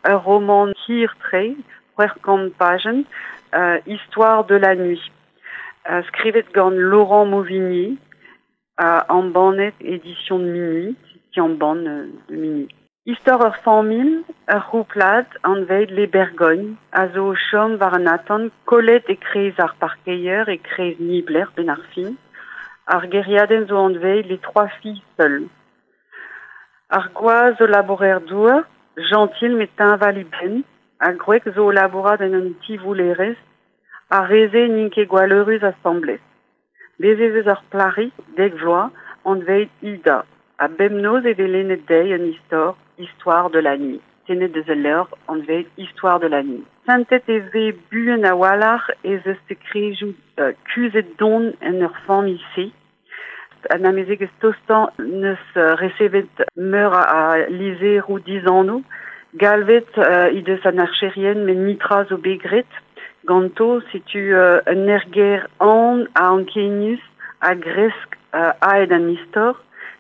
Ur romant hir-tre, 600 pajenn, Histoire de la nuit. Skrivet gant Laurent Mauvignier, ha embannet Éditions de Minuit, ti embann de Minuit. Istor ur familh, ur c'houplad anvet Les Bergognes, a zo o chom war an atant kollet e-kreiz ar parkeier, e-kreiz niblec'h 'benn ar fin. Ar gêriadenn zo anvet Les Trois Filles Seules. Ar gwaz zo labourer-douar, jentil met teñval e benn, ha gwreg zo o labourat en un ti-voullerezh. Ar re-se n'int ket gwalleurus asambles. Bez' ez eus ur plac'hig, 10 vloaz, anvet Ida, ha bemnoz e vez lennet dezhi un istor, Histoire de la nuit, tennet eus ul levr anvet Histoire de la nuit. Santet e vez buan a-walc'h ez eus sekrejoù kuzhet don en ur familh-se. An amezegez tostañ 'neus resevet meur a lizheroù dizanv. Galvet he deus an archerien met netra zo bet graet ganto. Setu un aergelc'h aon ha ankenius a gresk aet an istor.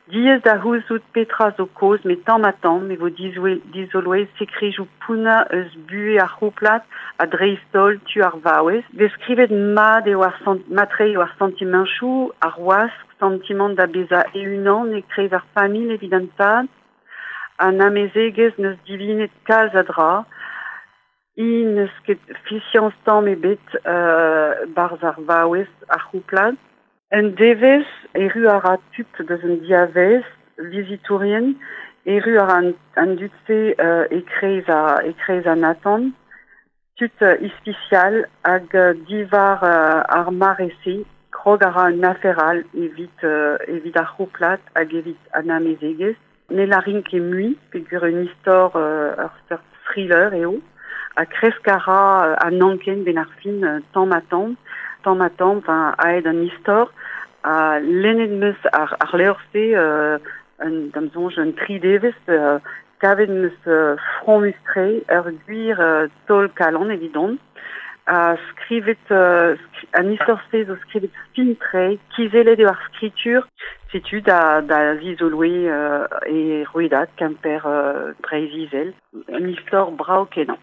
Diaes da c'houzout petra zo kaoz met tamm-ha-tamm e vo dizoloet sekrejoù pounnañ eus buhez ar c'houplad ha dreist-holl tu ar vaouez. Deskrivet mat eo ar mat-tre eo ar santimanchoù, ar wask, santimant da bezañ e-unan e-kreiz ar familh evit an tad. An amezegez 'neus divinet kalz a dra. Hi n'eus ket fiziañs tamm ebet 'barzh ar vaouez, ar c'houplad. Un devezh erru a ra tud deus an diavaez, vizitourien, erru a ra an dud-se e-kreiz e-kreiz an atant. Tud ispisial hag diwar ar mare-se krog a ra un afer all evit evit ar c'houplad hag evit an amezegez. Ne lârin ket mui peogwir un istor ur seurt thriller eo ha kresk a ra an anken 'benn ar fin tamm-ha-tamm, tamm-ha-tamm, enfin aet an istor ha lennet 'm eus ar ar levr-se un da'm soñj un tri devezh kavet 'm eus fromus-tre, ur gwir taol-kalon evidon. Ha skrivet an istor-se zo skrivet fin-tre, kizellet eo ar skritur. Setu da da zizoloiñ e rouedad Kemper Breizh-Izel. Un istor brav-kenañ.